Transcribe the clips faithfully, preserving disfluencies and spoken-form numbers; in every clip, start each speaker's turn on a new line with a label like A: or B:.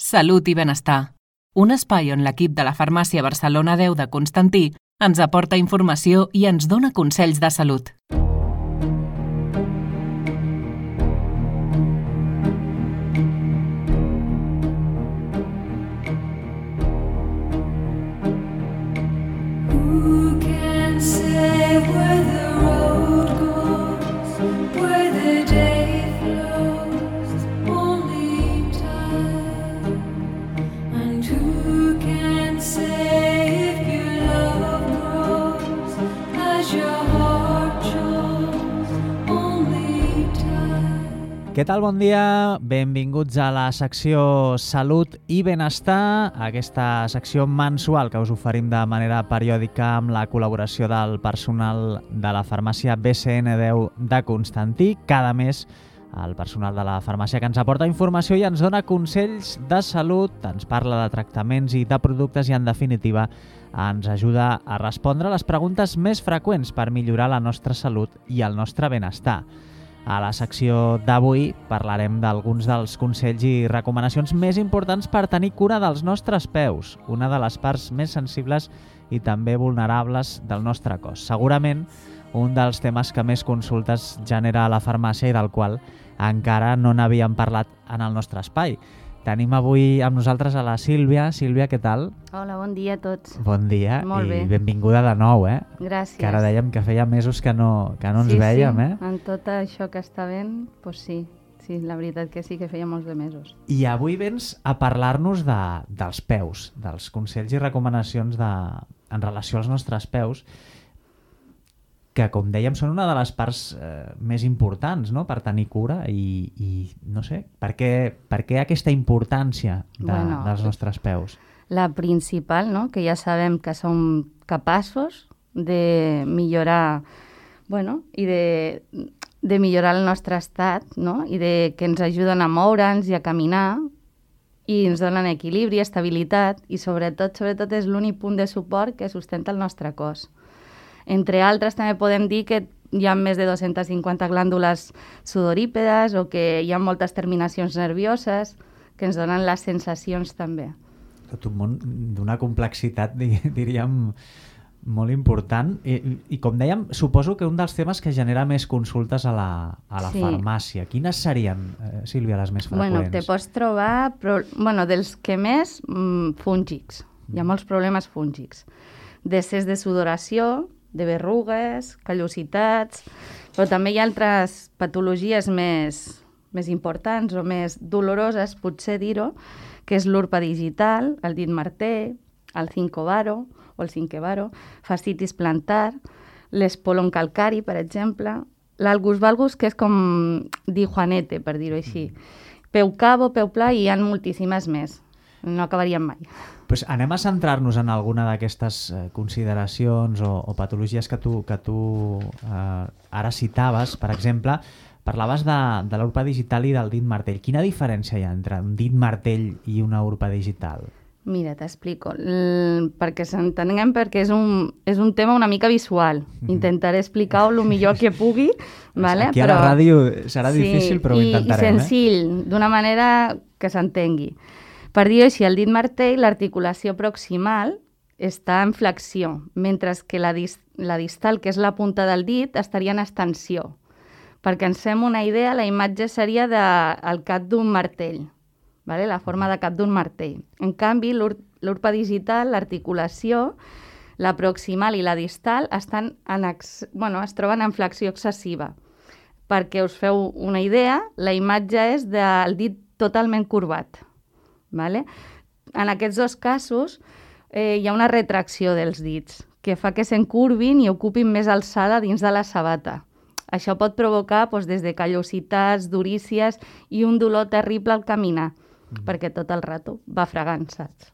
A: Salut i benestar. Un espai on l'equip de la Farmàcia Barcelona deu de Constantí ens aporta informació i ens dona consells de salut.
B: Who can say where the road goes, where the day flows, only time? And who can say if your love grows as your heart chose, only time?
C: Què tal? Bon dia, benvinguts a la secció Salut i Benestar, aquesta secció mensual que us oferim de manera periòdica amb la col·laboració del personal de la farmàcia B C N deu de Constantí. Cada mes el personal de la farmàcia que ens aporta informació i ens dona consells de salut, ens parla de tractaments i de productes i, en definitiva, ens ajuda a respondre a les preguntes més freqüents per millorar la nostra salut i el nostre benestar. A la secció d'avui parlarem d'alguns dels consells i recomanacions més importants per tenir cura dels nostres peus, una de les parts més sensibles i també vulnerables del nostre cos. Segurament un dels temes que més consultes genera a la farmàcia i del qual encara no n'havíem parlat en el nostre espai. Tenim avui amb nosaltres a la Sílvia. Sílvia, què tal?
D: Hola, bon dia a tots.
C: Bon dia.
D: Molt bé.
C: I benvinguda de nou, eh?
D: Gràcies.
C: Que ara dèiem que feia mesos que no, que no ens
D: sí,
C: vèiem,
D: sí.
C: eh?
D: En tot això que està ben, doncs sí. Sí, la veritat que sí, que feia molts de mesos.
C: I avui vens a parlar-nos de, dels peus, dels consells i recomanacions de, en relació als nostres peus, que, com dèiem, són una de les parts eh, més importants, no?, per tenir cura i, i no sé, per què, per què aquesta importància de,
D: bueno,
C: dels nostres peus?
D: La principal, no?, que ja sabem que som capaços de millorar, bueno, i de, de millorar el nostre estat, no?, i de que ens ajuden a moure'ns i a caminar i ens donen equilibri, estabilitat i sobretot, sobretot és l'únic punt de suport que sustenta el nostre cos. Entre altres, també podem dir que hi ha més de dues-centes cinquanta glàndules sudorípedes o que hi ha moltes terminacions nervioses que ens donen les sensacions també.
C: Tot un món d'una complexitat, diríem, molt important. I, i com dèiem, suposo que un dels temes que genera més consultes a la, a la
D: sí.
C: farmàcia. Quines serien, eh, Sílvia, les més freqüents?
D: Bueno, te pots trobar, però, bueno, dels que més, mmm, fúngics. Hi ha molts problemes fúngics. Decés de sudoració, de berrugues, callositats, però també hi ha altres patologies més, més importants o més doloroses, potser dir-ho, que és l'urpa digital, el dit martell, el cincovaro o el cinquevaro, fascitis plantar, l'espolon calcari, per exemple, l'algus valgus, que és com dir Juanete, per dir-ho així, peu cabo, peu pla, i hi ha moltíssimes més. No acabaríem mai.
C: Pues anem a centrar-nos en alguna d'aquestes eh, consideracions o, o patologies que tu, que tu eh, ara citaves. Per exemple, parlaves de, de l'urpa digital i del dit martell. Quina diferència hi ha entre un dit martell i una urpa digital?
D: Mira, t'explico. L- perquè s'entenguem, perquè és un, és un tema una mica visual. Intentaré explicar-ho el millor que pugui. Vale?
C: Aquí a
D: però...
C: la ràdio serà
D: sí,
C: difícil, però ho
D: i,
C: intentarem.
D: I senzill, eh? D'una manera que s'entengui. Per dir-ho així, el dit martell, l'articulació proximal està en flexió, mentre que la, dis la distal, que és la punta del dit, estaria en extensió. Perquè ens fem una idea, la imatge seria de, el cap d'un martell, vale? La forma de cap d'un martell. En canvi, l'urpa digital, l'articulació, la proximal i la distal estan en ex bueno, es troben en flexió excessiva. Perquè us feu una idea, la imatge és del dit totalment corbat. Vale? En aquests dos casos eh, hi ha una retracció dels dits que fa que s'encurvin i ocupin més alçada dins de la sabata. Això pot provocar doncs, des de callositats, durícies i un dolor terrible al caminar, mm. perquè tot el rato va fregant, saps?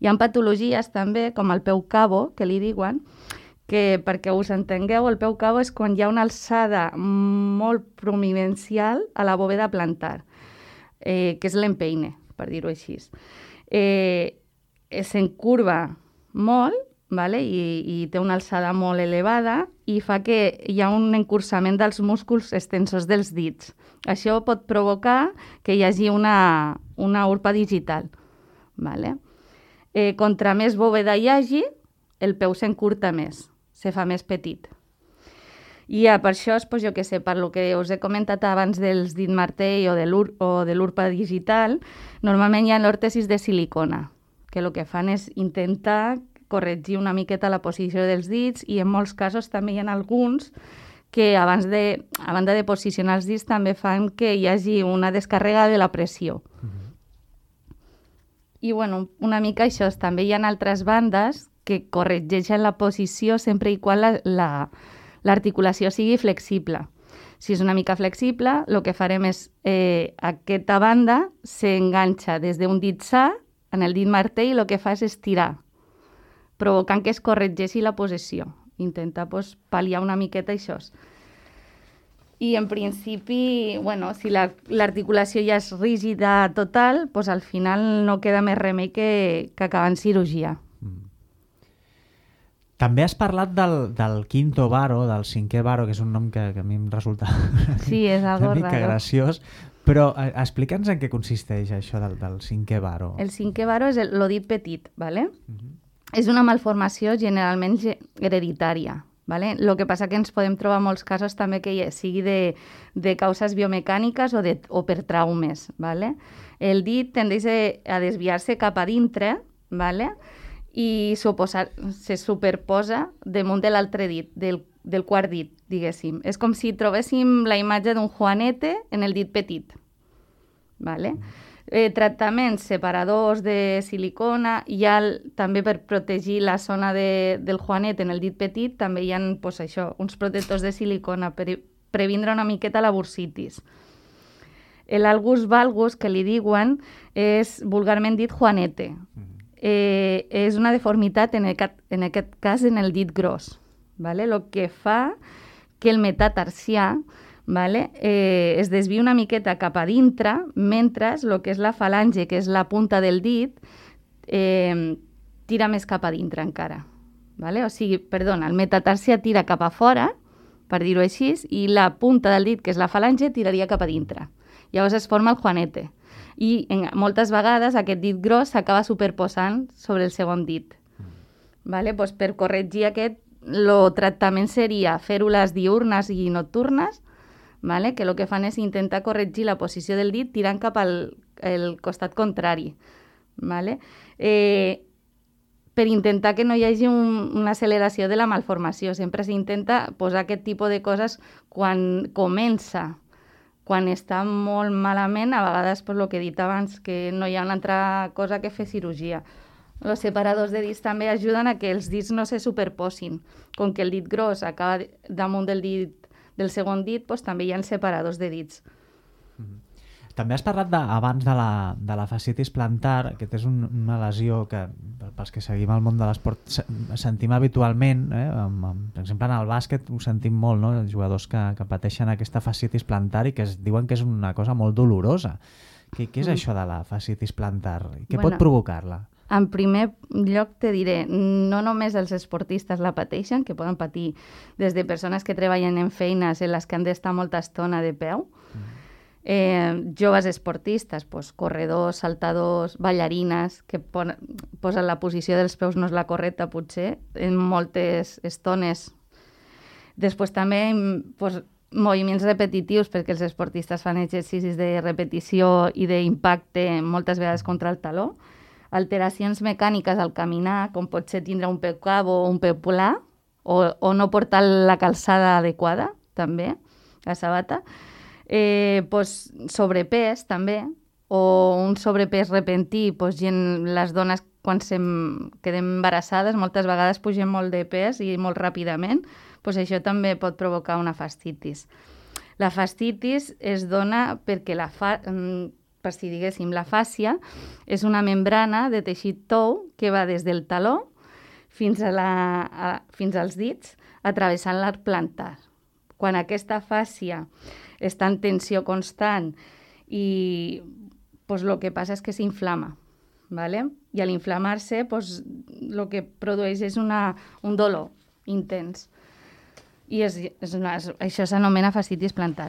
D: Hi ha patologies també, com el peu cabo, que li diuen, que perquè us entengueu, el peu cabo és quan hi ha una alçada molt prominencial a la bòveda plantar, eh, que és l'empeine, per dir-ho així. Eh, s'encurva molt, vale? I, i té una alçada molt elevada i fa que hi ha un encursament dels músculs extensors dels dits. Això pot provocar que hi hagi una, una urpa digital. Vale? Eh, contra més bòveda hi hagi, el peu s'encurta més, se fa més petit. I ja, per això, pues, jo què sé, per lo que us he comentat abans dels dit martell o de l'ur- o de l'urpa digital, normalment hi ha l'òrtesis de silicona, que el que fan és intentar corregir una miqueta la posició dels dits i en molts casos també hi ha alguns que abans de, a banda de posicionar els dits també fan que hi hagi una descàrrega de la pressió. I bueno, una mica això, també hi ha altres bandes que corregeixen la posició sempre i quan la, la, l'articulació sigui flexible. Si és una mica flexible, el que farem és eh, aquesta banda s'enganxa des d'un dit sa en el dit martell i el que fa és estirar, provocant que es corregeixi la posició. Intenta pues, pal·liar una miqueta això. I en principi, bueno, si la, l'articulació ja és rígida total, pues, al final no queda més remei que, que acabar en cirurgia.
C: Mm. També has parlat del, del quinto varo, del cinquè varo, que és un nom que, que a mi em resulta
D: Sí, és algo
C: una mica
D: raro.
C: graciós, però eh, explica'ns en què consisteix això del, del cinquè varo.
D: El cinquè varo és el, lo dit petit, ¿vale?
C: Mhm.
D: És una malformació generalment ge- hereditària. ¿Vale? Lo que passa que ens podem trobar molts casos també que hi- sigui de, de causes biomecàniques o, de, o per traumes. ¿Vale? El dit tendeix a a desviar-se cap a dintre, ¿vale? I s'oposar- se superposa damunt de l'altre dit, del, del quart dit, diguéssim. És com si trobéssim la imatge d'un Juanete en el dit petit. ¿Vale? Eh, tractaments separadors de silicona, hi ha el- també per protegir la zona de, del Juanet en el dit petit, també hi ha pues, això, uns protectors de silicona per previndre una miqueta la bursitis. L'algus valgus, que li diuen, és vulgarment dit Juanete. Eh, és una deformitat, en aquest, en aquest cas, en el dit gros. ¿Vale? Lo que fa que el metatarsià, ¿vale? eh, es desvia una miqueta cap a dintre, mentre el que és la falange, que és la punta del dit, eh, tira més cap a dintre encara. ¿Vale? O sigui, perdona, el metatarsià tira cap a fora, per dir-ho així, i la punta del dit, que és la falange, tiraria cap a dintre. Llavors es forma el Juanete. I en, moltes vegades aquest dit gros s'acaba superposant sobre el segon dit. ¿Vale? Pues per corregir aquest, el tractament seria fèrules diurnes i nocturnes, ¿vale? Que el que fan és intentar corregir la posició del dit tirant cap al el costat contrari. ¿Vale? Eh, per intentar que no hi hagi un, una acceleració de la malformació. Sempre s'intenta posar aquest tipus de coses quan comença. Quan està molt malament, a vegades, per lo que he dit abans, que no hi ha una altra cosa que fer cirurgia. Els separadors de dits també ajuden a que els dits no se superposin. Com que el dit gros acaba damunt del dit del segon dit, doncs, també hi ha separadors de dits.
C: També has parlat de, abans de la, de la fascitis plantar, que és un, una lesió que, pels que seguim el món de l'esport, se- sentim habitualment, eh? amb, amb, per exemple en el bàsquet ho sentim molt, no? Els jugadors que, que pateixen aquesta fascitis plantar i que es diuen que és una cosa molt dolorosa. Què, què és
D: Mm.
C: això de la fascitis plantar? Què
D: Bueno.
C: pot provocar-la?
D: En primer lloc te diré, no només els esportistes la pateixen, que poden patir des de persones que treballen en feines en les que han d'estar molta estona de peu, eh, joves esportistes, pues, corredors, saltadors, ballarines, que pon, posen la posició dels peus no és la correcta potser, en moltes estones. Després també pues, moviments repetitius, perquè els esportistes fan exercicis de repetició i d'impacte moltes vegades contra el taló. Alteracions mecàniques al caminar, com pot ser tindre un peu cabo o un peu pla, o, o no portar la calçada adequada, també, la sabata. Eh, pues, sobrepès, també, o un sobrepès repentí, pues, gent, les dones quan sem, quedem embarassades moltes vegades pugem molt de pes i molt ràpidament, pues això també pot provocar una fascitis. La fascitis es dona perquè la fa, per si diguéssim, la fàscia és una membrana de teixit tou que va des del taló fins, a la, a, fins als dits, atravessant l'arc plantar. Quan aquesta fàscia està en tensió constant i pues, el que passa és que s'inflama. ¿Vale? I a l'inflamar-se, pues, el que produeix és una, un dolor intens. I és, és una, és, això s'anomena fascitis plantar.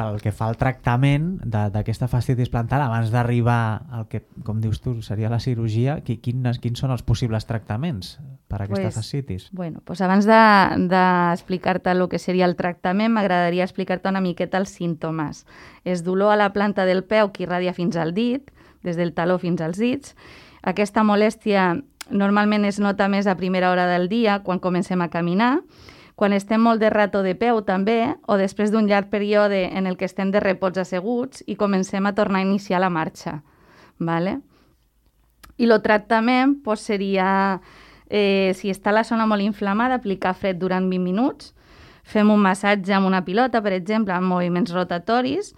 C: pel que fa al tractament d'aquesta fascitis plantar, abans d'arribar al que, com dius tu, seria la cirurgia, quins, quins són els possibles tractaments per a aquesta
D: pues,
C: fascitis?
D: Bueno, pues abans d'explicar-te de, el que seria el tractament, m'agradaria explicar-te una miqueta els símptomes. És dolor a la planta del peu que irradia fins al dit, des del taló fins als dits. Aquesta molèstia normalment es nota més a primera hora del dia, quan comencem a caminar, quan estem molt de rato de peu també, o després d'un llarg període en el que estem de repots asseguts i comencem a tornar a iniciar la marxa. Vale? I el tractament pues, seria, eh, si està la zona molt inflamada, aplicar fred durant vint minuts, fem un massatge amb una pilota, per exemple, amb moviments rotatoris,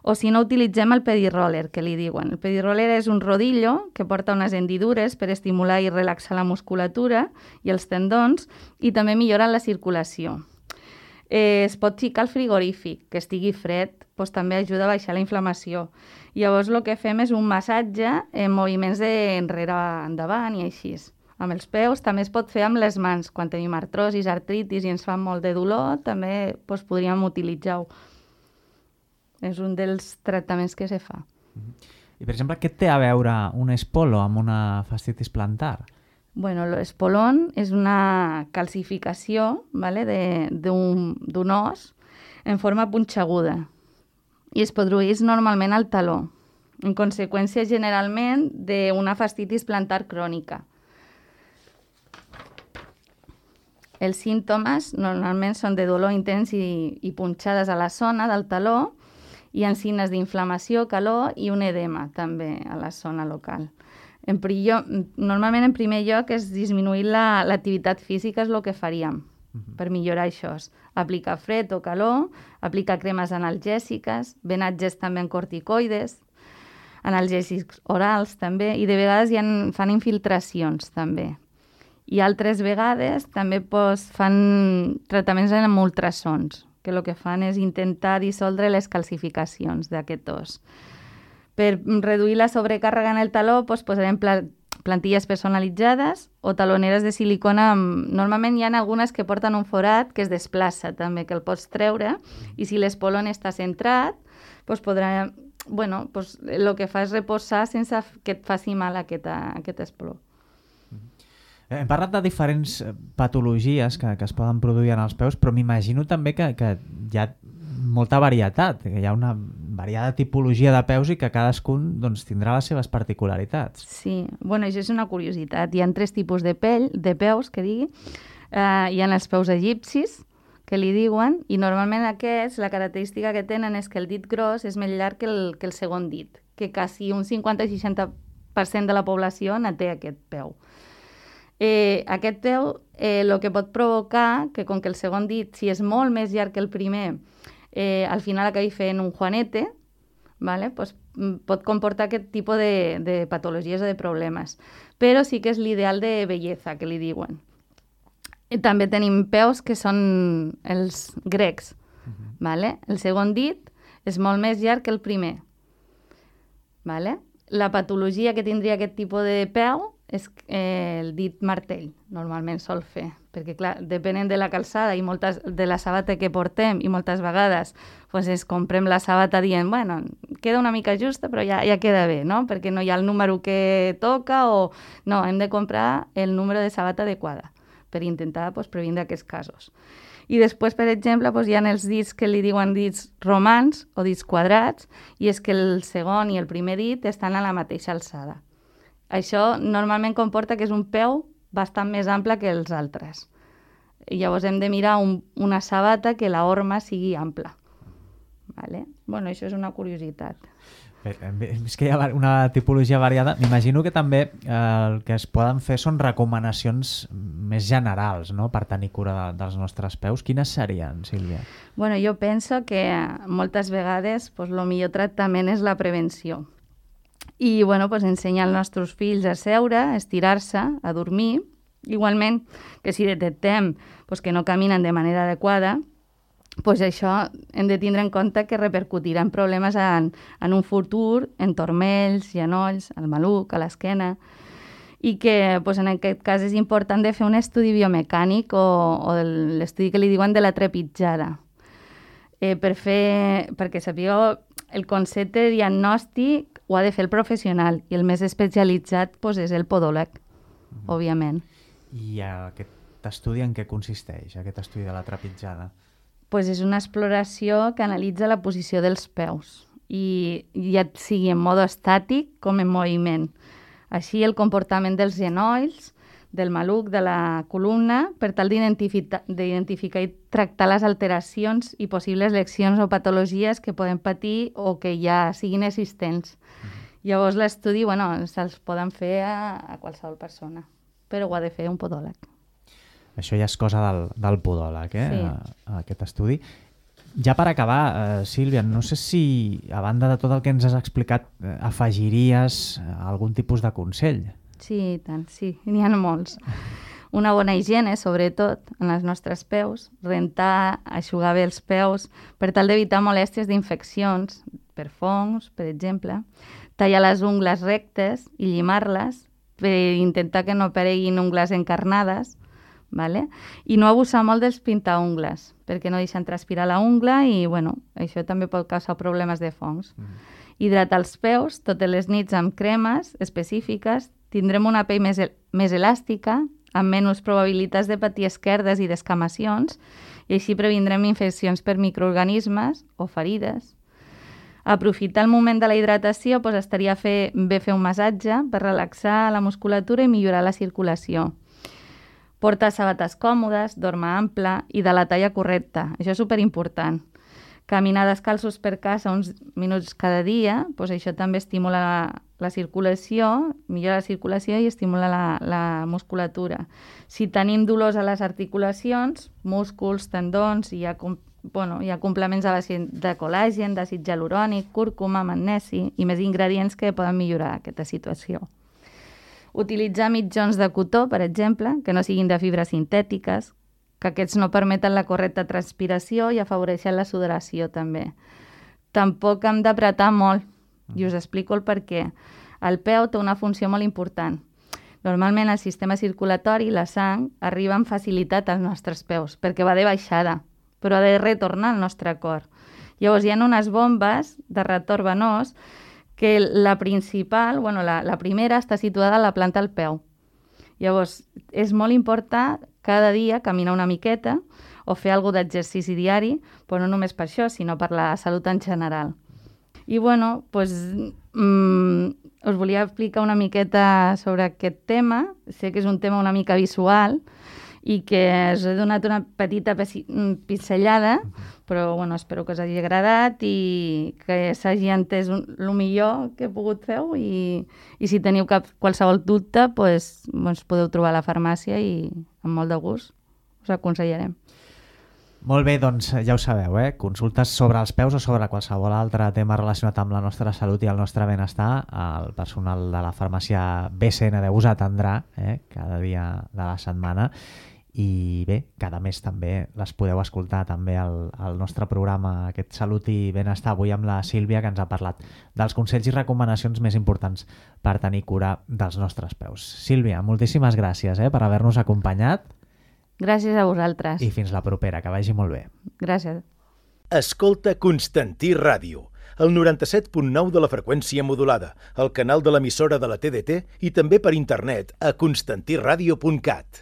D: o si no, utilitzem el pediroller, que li diuen. El pediroller és un rodillo que porta unes hendidures per estimular i relaxar la musculatura i els tendons i també milloren la circulació. Eh, es pot ficar al frigorífic, que estigui fred, doncs també ajuda a baixar la inflamació. Llavors el que fem és un massatge en moviments d'enrere endavant i així. Amb els peus també es pot fer amb les mans. Quan tenim artrosis, artritis i ens fa molt de dolor, també doncs, podríem utilitzar-ho. És un dels tractaments que se fa.
C: I, per exemple, què té a veure un espolo amb una fascitis plantar?
D: Bueno, l'espolón és una calcificació, ¿vale? d'un os en forma punxeguda i es produeix normalment al taló, en conseqüència generalment d'una fascitis plantar crònica. Els símptomes normalment són de dolor intens i, i punxades a la zona del taló, hi ha signes d'inflamació, calor i un edema també a la zona local. En lloc, normalment en primer lloc és disminuir l'activitat la, física, és el que faríem uh-huh. per millorar això. Aplicar fred o calor, aplicar cremes analgèsiques, venatges també en corticoides, analgèsics orals també, i de vegades ja fan infiltracions també. I altres vegades també pues, fan tractaments amb ultrasons, que el que fan és intentar dissoldre les calcificacions d'aquest os. Per reduir la sobrecàrrega en el taló, doncs, posarem pla plantilles personalitzades o taloneres de silicona. Amb... Normalment hi ha algunes que porten un forat que es desplaça també, que el pots treure, i si l'espolón està centrat, doncs podrà... Bueno, doncs el que fa és reposar sense que et faci mal aquest, aquest espoló.
C: Hem parlat de diferents patologies que, que es poden produir en els peus, però m'imagino també que, que hi ha molta varietat, que hi ha una variada tipologia de peus i que cadascun doncs, tindrà les seves particularitats.
D: Sí, bueno, això és una curiositat. Hi ha tres tipus de, pell, de peus, que digui. Uh, hi ha els peus egipcis, que li diuen, i normalment aquests, la característica que tenen és que el dit gros és més llarg que el, que el segon dit, que quasi un cinquanta a seixanta per cent de la població en té aquest peu. Eh, aquest peu el eh, que pot provocar que com que el segon dit, si és molt més llarg que el primer, eh, al final acabi fent un juanete, ¿vale? Pues, pot comportar aquest tipus de, de patologies o de problemes. Però sí que és l'ideal de bellesa, que li diuen. I també tenim peus que són els grecs. Uh-huh. ¿Vale? El segon dit és molt més llarg que el primer. ¿Vale? La patologia que tindria aquest tipus de peu és eh, el dit martell, normalment sol fer, perquè clar, depenent de la calçada i moltes, de la sabata que portem, i moltes vegades pues, es comprem la sabata dient, bueno, queda una mica justa, però ja, ja queda bé, no? Perquè no hi ha el número que toca o... No, hem de comprar el número de sabata adequada per intentar pues, previndre aquests casos. I després, per exemple, pues, hi ha els dits que li diuen dits romans o dits quadrats, i és que el segon i el primer dit estan a la mateixa alçada. Això normalment comporta que és un peu bastant més ample que els altres. I llavors hem de mirar un, una sabata que la horma sigui ampla. Vale? Bueno, això és una curiositat.
C: Bé, és que hi ha una tipologia variada. M'imagino que també eh, el que es poden fer són recomanacions més generals, no?, per tenir cura de, dels nostres peus. Quines serien, Sílvia?
D: Bueno, jo penso que moltes vegades pues, el millor tractament és la prevenció. I bueno, pues, ensenyar als nostres fills a seure, a estirar-se, a dormir. Igualment, que si detectem pues, que no caminen de manera adequada, pues, això hem de tindre en compte que repercutirà en problemes en, en un futur, en turmells, genolls, al maluc, a l'esquena, i que pues, en aquest cas és important de fer un estudi biomecànic o, o l'estudi que li diuen de la trepitjada. eh, per fer, perquè sapigueu, el concepte de diagnòstic ho ha de fer el professional i el més especialitzat pues, és el podòleg, mm. òbviament.
C: I aquest estudi en què consisteix, aquest estudi de la trepitjada?
D: Pues és una exploració que analitza la posició dels peus, i ja sigui en mode estàtic com en moviment. Així el comportament dels genolls, del maluc, de la columna, per tal d'identificar i tractar les alteracions i possibles lesions o patologies que poden patir o que ja siguin existents. Mm-hmm. Llavors l'estudi, bueno, se'ls poden fer a, a qualsevol persona, però ho ha de fer un podòleg.
C: Això ja és cosa del, del podòleg, eh?
D: Sí.
C: A, aquest estudi. Ja per acabar, eh, Sílvia, no sé si, a banda de tot el que ens has explicat, eh, afegiries algun tipus de consell.
D: Sí, i tant, sí, n'hi ha molts. Una bona higiene, sobretot, en els nostres peus, rentar, eixugar bé els peus, per tal d'evitar molèsties d'infeccions, per fongs, per exemple, tallar les ungles rectes i llimar-les, per intentar que no apareguin ungles encarnades, vale? I no abusar molt dels pintaungles, perquè no deixen transpirar la ungla i, bueno, això també pot causar problemes de fongs. Mm. Hidratar els peus totes les nits amb cremes específiques, tindrem una pell més, més elàstica, amb menys probabilitats de patir esquerdes i descamacions, i així previndrem infeccions per microorganismes o ferides. Aprofitar el moment de la hidratació doncs estaria fer, bé fer un massatge per relaxar la musculatura i millorar la circulació. Portar sabates còmodes, dormir ample i de la talla correcta. Això és superimportant. Caminar descalços per casa uns minuts cada dia, doncs això també estimula la, la circulació, millora la circulació i estimula la, la musculatura. Si tenim dolors a les articulacions, músculs, tendons, hi ha, bueno, hi ha complements a base de col·làgen, d'àcid hialurònic, cúrcuma, magnesi i més ingredients que poden millorar aquesta situació. Utilitzar mitjons de cotó, per exemple, que no siguin de fibres sintètiques, que aquests no permeten la correcta transpiració i afavoreixen la sudoració també. Tampoc hem d'apretar molt, i us explico el per què. El peu té una funció molt important. Normalment el sistema circulatori, la sang, arriba amb facilitat als nostres peus, perquè va de baixada, però ha de retornar al nostre cor. Llavors hi ha unes bombes de retorn venós que la principal, bueno, la, la primera està situada a la planta del peu. Llavors, és molt important cada dia caminar una miqueta o fer alguna d'exercici diari, però no només per això, sinó per la salut en general. I, bueno, doncs, mmm, us volia explicar una miqueta sobre aquest tema. Sé que és un tema una mica visual i que us he donat una petita pinzellada, però bueno, espero que us hagi agradat i que s'hagi entès el millor que he pogut fer i, i si teniu cap, qualsevol dubte doncs, doncs podeu trobar a la farmàcia i amb molt de gust us aconsellarem.
C: Molt bé, doncs ja ho sabeu, eh? Consultes sobre els peus o sobre qualsevol altre tema relacionat amb la nostra salut i el nostre benestar, el personal de la farmàcia B C N de us atendrà eh? cada dia de la setmana. I bé, cada mes també les podeu escoltar també al, al nostre programa, aquest Salut i Benestar, avui amb la Sílvia, que ens ha parlat dels consells i recomanacions més importants per tenir cura dels nostres peus. Sílvia, moltíssimes gràcies eh, per haver-nos acompanyat.
D: Gràcies a vosaltres.
C: I fins la propera, que vagi molt bé.
D: Gràcies.
E: Escolta Constantí Ràdio, el noranta-set punt nou de la freqüència modulada, el canal de l'emissora de la T D T i també per internet a constantí ràdio punt cat.